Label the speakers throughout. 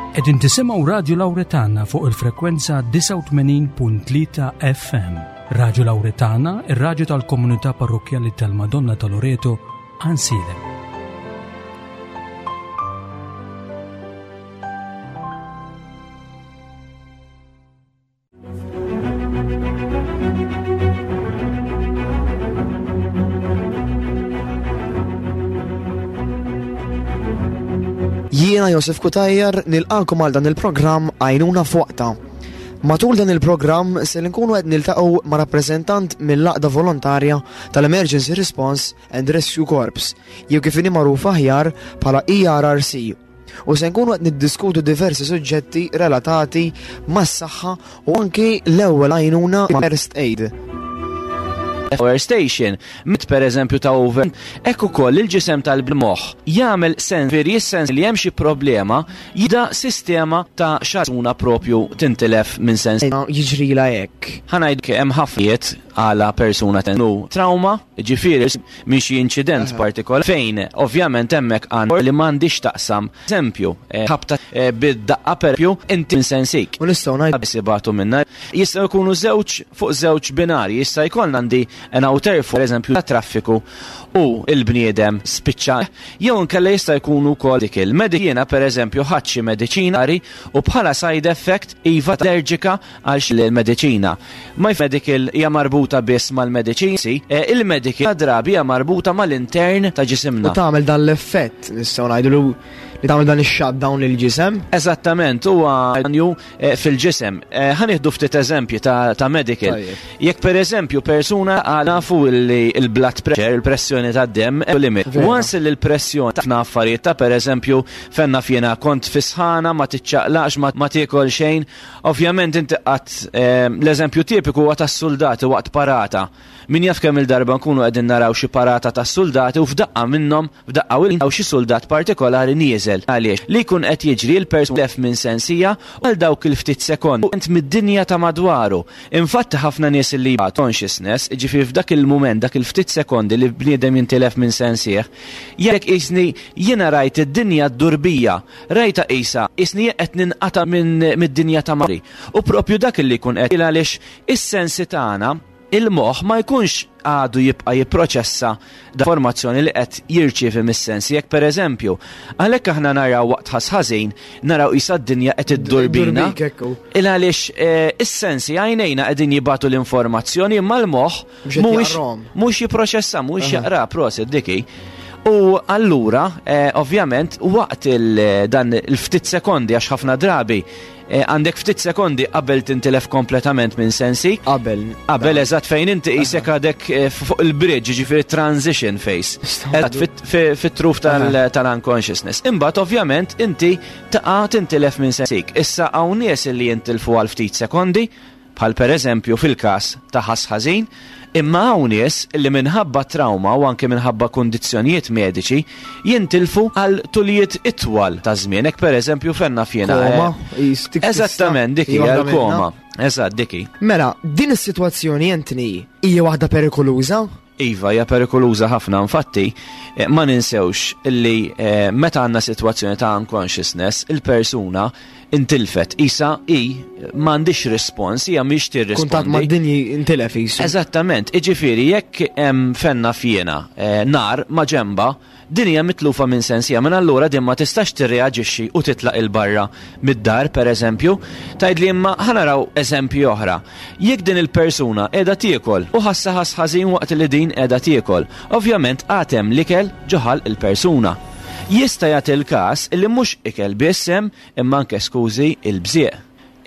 Speaker 1: Qegħdin tisimgħu Radju Lawretana fuq il-frekwenza 89.3 FM. Radju Lawretana, ir-radju tal-komunità parrokkjali tal-Madonna ta' Loreto, Ansilem.
Speaker 2: Jiena Josef Kutajjar nilqakom għal dan il-programm Għajnuna f'Waqta. Matul dan il-programm se nkunu qed niltaqgħu ma' rappreżentant mill-Għaqda Volontarja tal-Emergency Response and Rescue Corps, jew kif inhi magħruf aħjar bħala ERRC. U se nkunu qed niddiskutu diversi suġġetti relatati mas-saħħa u anki l-ewwel għajnuna first aid.
Speaker 3: Power station, mit per eżempju ta' over, hekk ukoll il-ġisem tal-moħħ jagħmel sens veri sens li hemm xi problema jibda sistema ta' xaruna propju tintilef minn sens.
Speaker 2: Jiġrila hekk.
Speaker 3: Ħa ngħid hemm ħafna għala persuna tennu trauma, ġifieri minn xi inċident partikolari fejn ovvjament hemmhekk għandek li m'għandix taqsam. Eżempju, eh, ħabta eh, bid-daqqa perpju inti insensik.
Speaker 2: U nistgħu ngħid
Speaker 3: biss ibatu minna. Jistgħu jkunu żewġ fuq żewġ binari, jista' jkollna għandi an outer for eżempju ta' traffiku u il-bniedem spiċċa jew inkella jista' jkunu wkoll dik il-mediċina pereżempju ħadd xi mediċina u bħala side effect iva allerġika għal xi l-mediċina. My medical hija marbuta biss mal-mediċini, eh, il-medical drabi hija marbuta mal-intern ta' ġisimna.
Speaker 2: U tagħmel dan l-effett, nistgħu ngħidu li tagħmel dan ix-shutdown lil ġisem.
Speaker 3: Eżattament, huwa danju eh, fil-ġisem. Eh, ħa nieħdu ftit eżempji ta' medical. Jekk pereżempju persuna għal nafu li l-blood pressure, il-pressjoni tad-demm, limit. Once li l-pressjoni ta' affarijiet ta' pereżempju fenna fjena kont fisħana, ma tiċċaqlaqx, ma tiekol xejn, Ovvjament inti qatt ehm, l-eżempju tipiku huwa tas-suldati waqt parata. Min jaf kemm il-darba nkunu qegħdin naraw xi parata tas-suldati u f'daqqa minnhom f'daqqa u xi suldat partikolari nieżel. Għaliex li jkun qed jiġri l-persuna lef minn sensija u għal dawk il-ftit sekondi int mid-dinja ta' madwaru. Infatti ħafna nies li consciousness, ġifieri f'dak il-mument, dak il-ftit sekondi li bniedem jintilef minn sensih, jekk qisni jiena rajt id-dinja ddur bija. Rajtha qisha, qisni qed ninqata' minn mid-dinja ta' madwari. U proprju dak li jkun qed għaliex is-sensi tagħna, il-moħħ ma jkunx għadu jibqa' jipproċessa l-informazzjoni li qed jirċievi mis-sensi. Jekk pereżempju, għalhekk aħna naraw waqt ħass ħażin, naraw qisha d-dinja qed iddur bina. Il għaliex eh, is-sensi għajnejna qegħdin jibagħtu l-informazzjoni imma l-moħħ Mhuwiex mhux jipproċessa, mhuwiex jaqra, prosit diki. U allura, eh, ovvjament, waqt il dan il-ftit sekondi, għax ħafna drabi, eh, għandek ftit sekondi qabel tintilef kompletament minn sensi.
Speaker 2: Qabel.
Speaker 3: Qabel eżatt fejn inti qisek għadek eh, fuq il-bridge, ġifieri transition phase. Eżatt fit-truf tal-unconsciousness. Imbagħad ovvjament inti taqa' tintilef minn sensik. Issa hawn nies li jintilfu għal ftit sekondi, bħal pereżempju fil-każ ta' ħass ħażin, imma hawn nies li minħabba trawma u anke minħabba kundizzjonijiet mediċi jintilfu għal tulijiet itwal ta' żmien, hekk pereżempju fejn naf jiena.
Speaker 2: Koma,
Speaker 3: Eżattament, dik hija l-koma. Eżatt, dik hi.
Speaker 2: Mela, din is-sitwazzjoni Anthony hija waħda perikoluża?
Speaker 3: Iva, hija perikoluża ħafna. Infatti, eh, ma ninsewx illi eh, meta għandna sitwazzjoni ta' unconsciousness, il-persuna intilfet, isa i m'għandix rispons, hija mhix tirrispondi.
Speaker 2: Kuntatt mad-dinji intilef isu.
Speaker 3: Eżattament, iġifieri jekk hemm fenna fjena eh, nar ma' ġemba, Din hija mitlufa minn sensiha, minn allura din ma tistax tirreaġixxi u titlaq 'il barra mid-dar, per eżempju. Tgħidli imma ħa naraw eżempji oħra. Jekk din il-persuna qiegħda tiekol u ħassa ħass ħażin waqt li din qiegħda tiekol, ovvjament għad hemm l-ikel ġo ħalq il-persuna. Jista' jagħti l-każ li mhux ikel biss hemm imma anke skużi il-bżieq.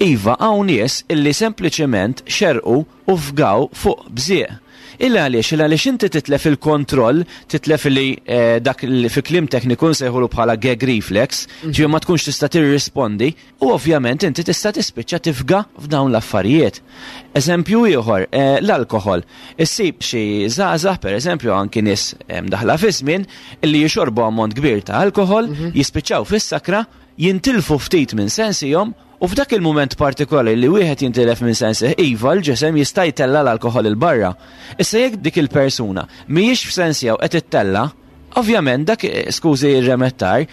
Speaker 3: Iva hawn nies illi sempliċement xerqu u fgaw fuq bżieq. Il għaliex? Il għaliex inti titlef il-kontroll, titlef li eh, dak li fi kliem tekniku nsejħulu bħala gag reflex, mhm. ġifieri ma tkunx tista' tirrispondi u ovvjament inti tista' tispiċċa tifga f'dawn l-affarijiet. Eżempju ieħor, eh, l-alkoħol. Issib xi żgħażagħ pereżempju anki nies eh, mdaħla fi żmien illi jixorbu ammont kbir ta' alkoħol, mhm. jispiċċaw fis-sakra, jintilfu ftit minn sensihom U f'dak il-mument partikolari li wieħed jintilef minn sensih, iva, l-ġisem jista' jtella' l-alkoħol 'il barra. Issa jekk dik il-persuna mhijiex f'sensiha u qed ittella', ovvjament dak, skużi r-remettar,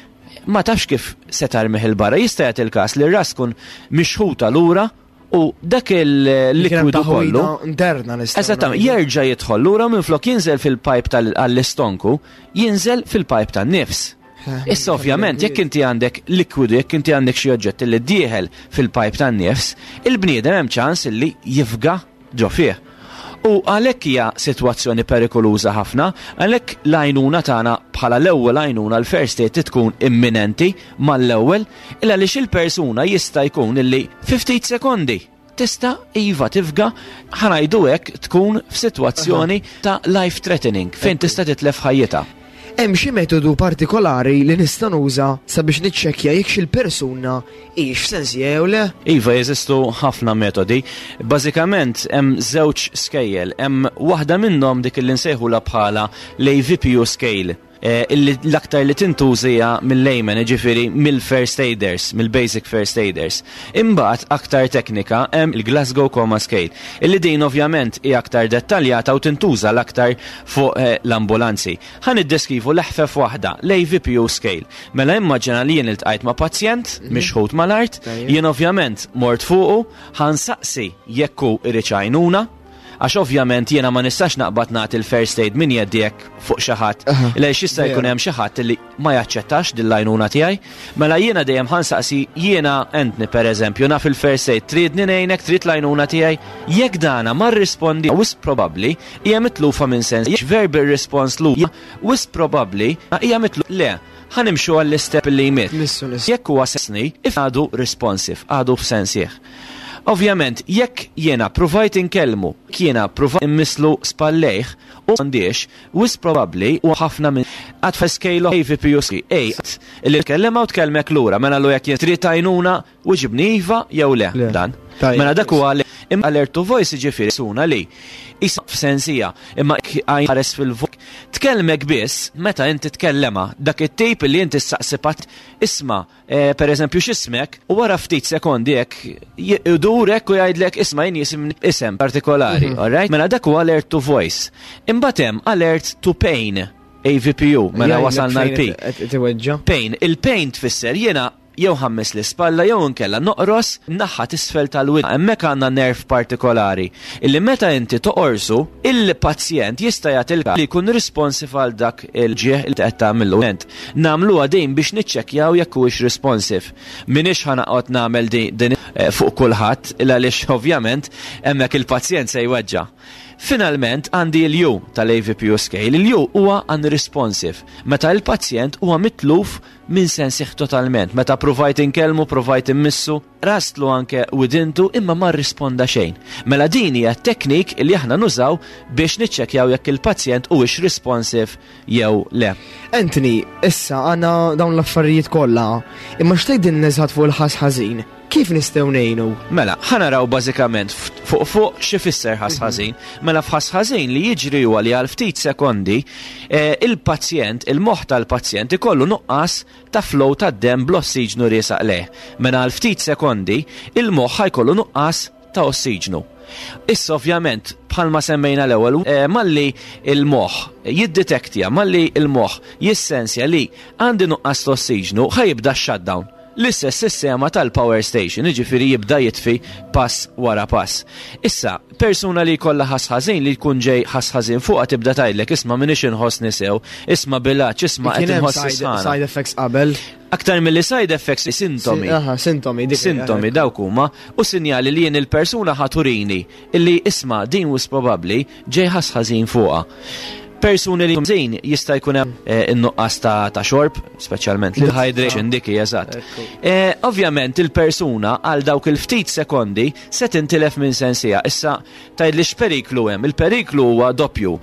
Speaker 3: Ma tafx kif se tarmih 'il barra. Jista' jagħti l-każ li r-ras tkun mixħuta lura u dak il-likwidu kollu.
Speaker 2: Interna nistgħu.
Speaker 3: Eżattament, jerġa' jidħol lura minflok jinżel fil-pipe tal-istonku, jinżel fil-pipe tan-nifs. Issa ovvjament jekk inti għandek likwidu, jekk inti għandek xi oġġett li dieħel fil-pipe tan-nifs, il-bniedem hemm ċans li jifga ġo fih. U għalhekk hija sitwazzjoni perikoluża ħafna, għalhekk l-għajnuna tagħna bħala l-ewwel għajnuna l-first aid tkun imminenti mal-ewwel, illa għaliex il-persuna jista' jkun illi fi ftit sekondi tista' iva tifga, ħa ngħidu hekk, tkun f'sitwazzjoni ta' life threatening fejn tista' titlef ħajjitha.
Speaker 2: Hemm xi metodu partikolari li nista' nuża sabiex niċċekkja jekk xi persuna hix f'sensiha jew le?
Speaker 3: Iva, jeżistu ħafna metodi. Bażikament hemm żewġ skejjel. Hemm waħda minnhom dik li nsejħulha bħala l-AVPU scale, illi l-aktar li tintuża mill-layman, jiġifieri mill-first aiders, mill-basic first aiders. Imbagħad aktar teknika hemm il-Glasgow Coma Scale, illi din ovvjament hija aktar dettaljata u tintuża l-aktar fuq l-ambulanzi. Ħa niddeskrivu l-eħfef waħda, l-AVPU scale. Mela immaġina li jien iltqajt ma' pazjent mixħut mal-art, jien ovvjament mort fuqu, ħa nsaqsi jekk hu irid għajnuna, għax ovvjament jiena ma nistax naqbad nagħti l-first aid minn jeddi hekk fuq xi ħadd. Għaliex jista' jkun hemm xi ħadd li ma jaċċettax din l-għajnuna tiegħi. Mela jiena dejjem ħa nsaqsi, jiena Anthony pereżempju naf il-first aid, tridni ngħinek, trid l-għajnuna tiegħi? Jekk dana ma rrispondi, wisq probabbli hija mitlufa minn sens. Verbal response lu, wisq probabbli hija mitlu le. Ħa nimxu għall-istep li jmiss.
Speaker 2: Missu, missu.
Speaker 3: Jekk huwa sensni, if għadu responsive, għadu f'sensih. Ovvjament, jekk jiena provajt inkellmu, jiena provajt immisslu spallejh u għandix, wisq probabbli u ħafna minn għad fa' scale of AVPU A, li tkellem u tkellmek lura, mela lu jekk jien trid għajnuna, weġibni iva jew le,
Speaker 2: Le.
Speaker 3: dan.
Speaker 2: Tajjeb.
Speaker 3: Mela dak huwa li imma alert to voice jiġifieri suna li isa f'sensija, imma ħares fil-vok. Tkellmek biss meta inti tkellema dak it-tip li inti ssaqsi isma', per eżempju x'ismek, u wara ftit sekondi hekk idur hekk u jgħidlek isma' jien jisim isem partikolari, all right? Mela dak huwa alert to voice. Imbagħad hemm alert to pain, AVPU, mela
Speaker 2: Jgħidlek
Speaker 3: wasalna
Speaker 2: fejn
Speaker 3: l-P.
Speaker 2: qed tiweġġa.
Speaker 3: Pain, il-pain tfisser jiena jew ħa mmiss l-ispalla jew inkella noqros naħa t'isfel tal-widna. Hemmhekk għandna nerv partikolari illi meta inti toqorsu, il-pazjent jista' jagħti l li jkun responsive għal dak il-ġieħ li qed tagħmillu. Nagħmluha din biex niċċekkjaw jekk huwiex responsive. M'iniex ħa noqgħod nagħmel din fuq kulħadd, illa għaliex ovvjament hemmhekk il-pazjent se jweġġa'. Finalment għandi l-U tal-AVPU scale. Il-U huwa unresponsive. Meta il-pazjent huwa mitluf minn sensih totalment. Meta provajt inkellmu, provajt immissu, qrastlu anke widintu imma ma rrisponda xejn. Mela din hija teknik li aħna nużaw biex niċċekkjaw jekk il-pazjent huwiex responsive jew le.
Speaker 2: Anthony, issa għandna dawn l-affarijiet kollha, imma x'tgħidilna eżatt fuq il-ħass ħażin? Kif nistgħu ngħinu?
Speaker 3: Mela, ħa naraw bażikament fuq fuq x'ifisser ħass ħażin. Mela f'ħass ħażin li jiġri huwa li għal ftit sekondi il-pazjent, il-moħħ tal-pazjent ikollu nuqqas ta' flow ta' demm bl-ossiġnu riesaq lejh. Mela għal ftit sekondi il-moħħ ħa jkollu nuqqas ta' ossiġnu. Issa ovvjament bħalma semmejna l-ewwel, malli il-moħħ jiddetektja, malli il-moħħ jissensja li għandi nuqqas ta' ossiġnu, ħa jibda shutdown. L-istess sistema tal-power station, jiġifieri jibda jitfi pass wara pass. Issa, persuna li jkollha ħass ħażin, li jkun ġej ħass ħażin fuqha tibda tgħidlek isma' m'iniex inħossni sew, isma' bilaċ, isma' qed
Speaker 2: Kien hemm
Speaker 3: inħoss sħana.
Speaker 2: side effects qabel.
Speaker 3: Aktar milli side effects, sintomi.
Speaker 2: Aha, sintomi, dik
Speaker 3: Sintomi dawk huma u sinjali li jien il-persuna ħa turini illi isma' din wisq probabbli ġej ħass ħażin fuqha. Persuni li ħażin jista' jkun hemm in-nuqqas ta' xorb, speċjalment l-hydration dik hija eżatt. Ovvjament il-persuna għal dawk il-ftit sekondi se tintilef minn sensija. Issa tgħidli x'periklu hemm? Il-periklu huwa doppju.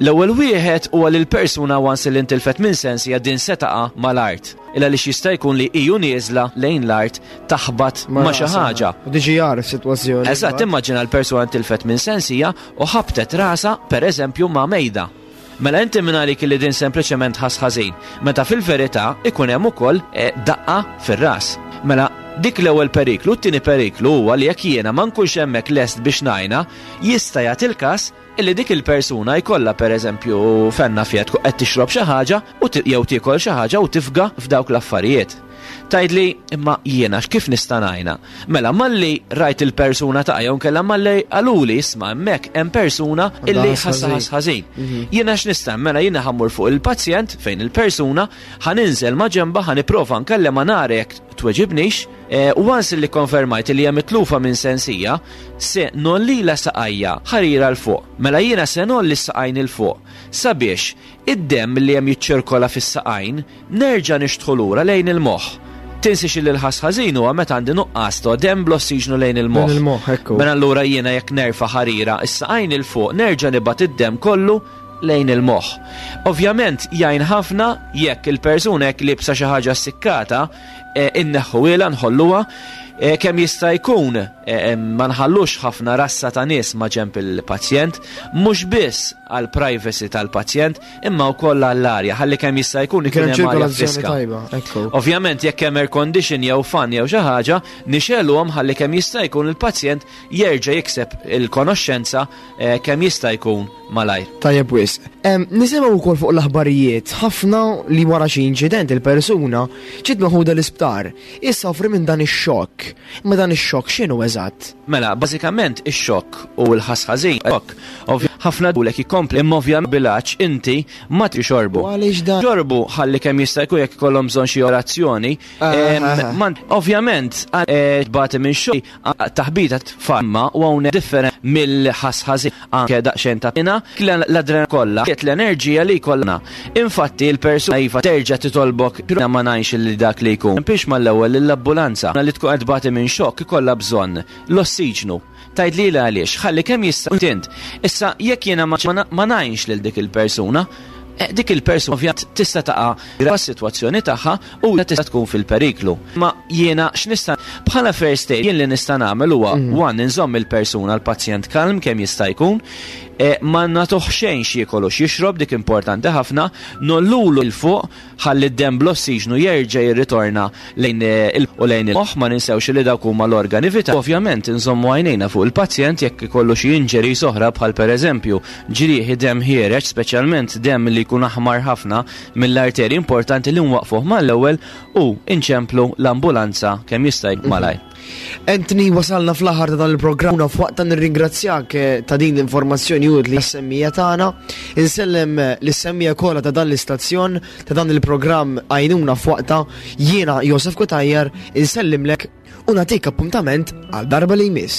Speaker 3: L-ewwel wieħed huwa li l-persuna once li intilfet minn sensija din se taqa' mal-art. Illa li jista' jkun li iju nieżla lejn l-art taħbat ma' xi
Speaker 2: rasha.
Speaker 3: ħaġa.
Speaker 2: U diġi jaraf sitwazzjoni.
Speaker 3: Eżatt, immaġina l-persuna intilfet minn sensija u ħabtet rasa pereżempju ma' mejda. Mela inti minn għalik li din sempliċement ħass ħażin, meta fil-verità ikun hemm ukoll daqqa fir-ras. Mela Dik l-ewwel periklu, t-tieni periklu huwa li jekk jiena ma nkunx hemmhekk lest biex ngħinha, jista' jagħti l-każ illi dik il-persuna jkollha pereżempju fenna fiha tkun qed tixrob xi ħaġa u jew tiekol xi ħaġa u tifga f'dawk l-affarijiet. Tgħidli, imma jiena kif nista' ngħinha? Mela malli rajt il-persuna taqa' jew inkella malli qaluli isma' hemmhekk hemm persuna illi ħassa ħass ħażin. Mhm. Jiena x'nista' mela jiena ħammur fuq il-pazjent fejn il-persuna ħa ninżel ma' ġenba ħa nipprova nkellem ma nara jekk tweġibnix, eh, u once li konfermajt li hija mitlufa minn sensija, se nollila saqajja ħarira 'l fuq. Mela jiena se nolli s-saqajn 'il fuq sabiex id-demm li hemm jiċċirkola fis-saqajn nerġa' nixtħu lura lejn il-moħħ. Tinsiex li l-ħass ħażin huwa meta għandi nuqqas ta' demm bl-ossiġnu lejn il-moħħ.
Speaker 2: Lejn il-moħħ, ekku.
Speaker 3: Mela allura jiena jekk nerfa' ħarira s-saqajn 'il fuq nerġa' nibgħat id-demm kollu lejn il-moħħ. Ovvjament jgħin ħafna jekk il-persuna jekk liebsa xi ħaġa ssikkata, eh, inneħħuhielha nħolluha eh, kemm jista' jkun eh, ma nħallux ħafna rassa ta' nies ma' ġenb il-pazjent, mhux biss għal privacy tal-pazjent, imma wkoll għall-arja, ħalli kemm jista' jkun ikun hemm arja friska. Ovvjament jekk hemm air condition jew fan jew xi ħaġa, nixegħluhom ħalli kemm jista' jkun il-pazjent jerġa' jikseb il-konoxxenza eh, kemm jista' jkun malajr.
Speaker 2: Tajjeb wisq. Nisimgħu wkoll fuq l-aħbarijiet ħafna li wara xi inċident il-persuna ġiet meħuda l-isptar. Issofri minn dan ix-xokk. Imma dan ix-xokk x'inhu eżatt?
Speaker 3: Mela, bażikament ix-xokk u l-ħass ħażin, xokk, ħafna dulek jikompli imma ovvjament bil-għatx inti ma tixorbu.
Speaker 2: Għaliex dan?
Speaker 3: Xorbu ħalli kemm jista' jkun jekk ikollhom bżonn xi orazzjoni.
Speaker 2: Ah, ah, ah.
Speaker 3: Ovvjament, eh, tbati minn xokk Taħbita tfamma u hawnhekk differenti mill-ħass ħażin anke daqsxejn ta' pina, l-adrenalina kollha qiegħed l-enerġija li jkollna. Infatti l-persuna iva terġa' titolbok ma ngħinx lil dak li jkun. Biex mal-ewwel lill-ambulanza li tkun qed tbati minn xokk ikollha bżonn l-ossiġnu. Tgħid lili għaliex? Ħalli kemm jista' int. Issa jekk jiena ma ngħinx lil dik il-persuna, eh, dik il-persuna ovvjament tista' taqa' s-sitwazzjoni tagħha u tista' tkun fil-periklu. Ma jiena x'nista' bħala first aid jien li nista' nagħmel huwa mm. one inżomm il-persuna l-pazjent kalm kemm jista' jkun, eh, ma nagħtuh xejn x'jiekol u x'jixrob dik importanti ħafna, nollulu il fuq ħalli d-demm bl-ossiġnu jerġa' jirritorna lejn eh, il u lejn il-moħħ ma ninsewx li dawk huma l-organi vitali. Ovvjament inżommu għajnejna fuq il-pazjent jekk ikollu xi injuries oħra bħal pereżempju ġrieħi demm ħiereġ, speċjalment demm li jkun aħmar ħafna mill-arterji importanti li nwaqfuh mal-ewwel u inċemplu l-ambulanza kemm jista' jkun malajr.
Speaker 2: Anthony, wasalna fl-aħħar ta' dan il-programm u f'waqta nirringrazzjak eh, ta' din l-informazzjoni utli għas-semmija tagħna. Insellem eh, lis-semmija kollha ta' dan l-istazzjon ta' dan il-programm għajnuna f'waqta jiena Josef Kutajjar insellimlek u nagħtik appuntament għal darba li jmiss.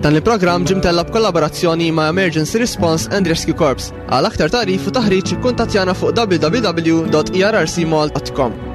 Speaker 4: Dan il-programm ġie mtella' b'kollaborazzjoni ma' Emergency Response and Rescue Corps. Għal aktar tagħrif u taħriġ ikkuntattjana fuq www.errcmall.com.